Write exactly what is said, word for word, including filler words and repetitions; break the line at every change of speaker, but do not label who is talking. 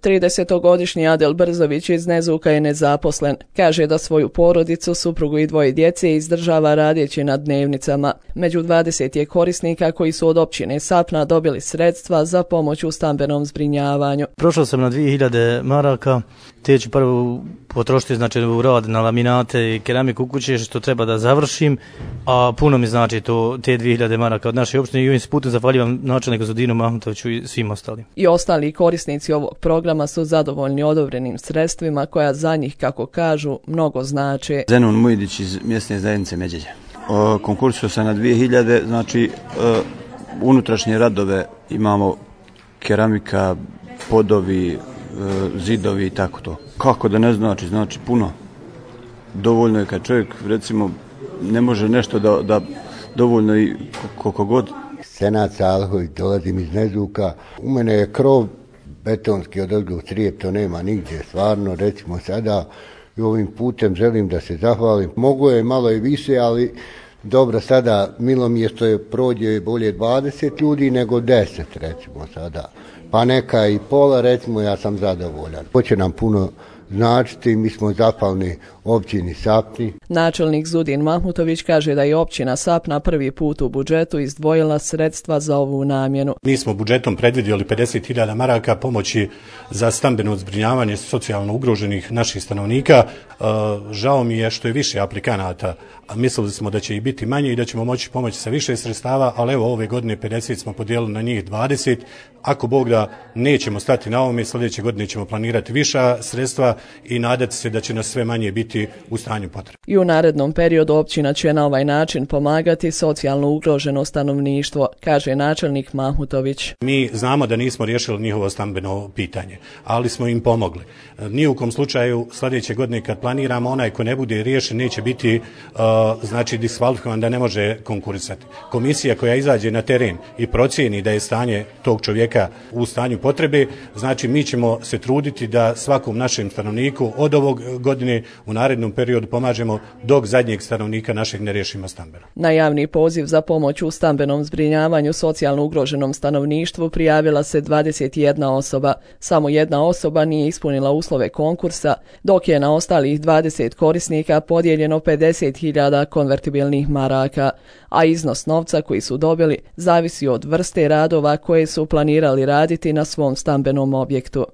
tridesetogodišnji Adel Brzović iz Nezuka je nezaposlen. Kaže da svoju porodicu, suprugu i dvoje djece izdržava radeći na dnevnicama. Među dvadeset je korisnika koji su od općine Sapna dobili sredstva za pomoć u stambenom zbrinjavanju.
Prošao sam na dvije hiljade maraka, te ću prvo potrošiti znači u rad na laminate i keramiku u kuće što treba da završim, a puno mi znači to te dvije hiljade maraka od naše opštine i ovim se putem zahvaljujem načelniku Zudinu Mahmutoviću i svim ostalim.
I ostali korisnici ovog programa su zadovoljni odobrenim sredstvima koja za njih, kako kažu, mnogo znače.
Zenon Mujdić iz mjesne zajednice Međelje. Konkursio sam na dvije hiljade, znači e, unutrašnje radove imamo keramika, podovi, e, zidovi i tako to. Kako da ne znači, znači puno. Dovoljno je kad čovjek recimo ne može nešto da, da dovoljno i koliko god.
Senad Salhović, dolazim iz Nezuka. U mene je krov betonski odozgo crijep, to nema nigdje, stvarno, recimo sada i ovim putem želim da se zahvalim. Mogu je malo i više, ali dobro, sada milo mi je što je prođe bolje dvadeset ljudi nego deset, recimo sada. Pa neka i pola, recimo, ja sam zadovoljan. Hoće nam puno značiti, mi smo zahvalni općini Sapni.
Načelnik Zudin Mahmutović kaže da je općina Sapna prvi put u budžetu izdvojila sredstva za ovu namjenu.
Mi smo budžetom predvidjeli pedeset hiljada maraka pomoći za stambeno zbrinjavanje socijalno ugroženih naših stanovnika. E, žao mi je što je više aplikanata, a mislili smo da će i biti manje i da ćemo moći pomoći sa više sredstava, ali evo ove godine pedeset smo podijelili na njih dvadeset. Ako Bog da, nećemo stati na ovome, sljedeće godine ćemo planirati viša sredstva i nadati se da će nas sve manje biti u stanju potrebe.
I u narednom periodu općina će na ovaj način pomagati socijalno ugroženo stanovništvo, kaže načelnik Mahmutović.
Mi znamo da nismo riješili njihovo stambeno pitanje, ali smo im pomogli. Ni u kom slučaju sljedeće godine kad planiramo, onaj ko ne bude riješen neće biti uh, znači diskvalifikovan da ne može konkurisati. Komisija koja izađe na teren i procijeni da je stanje tog čovjeka u stanju potrebe, znači mi ćemo se truditi da svakom našem stanovniku od ovog godine u narednom periodu pomažemo dok zadnjeg stanovnika našeg ne riješimo stambeno.
Na javni poziv za pomoć u stambenom zbrinjavanju socijalno ugroženom stanovništvu prijavila se dvadeset jedna osoba. Samo jedna osoba nije ispunila uslove konkursa, dok je na ostalih dvadeset korisnika podijeljeno pedeset hiljada konvertibilnih maraka, a iznos novca koji su dobili zavisi od vrste radova koje su planirali raditi na svom stambenom objektu.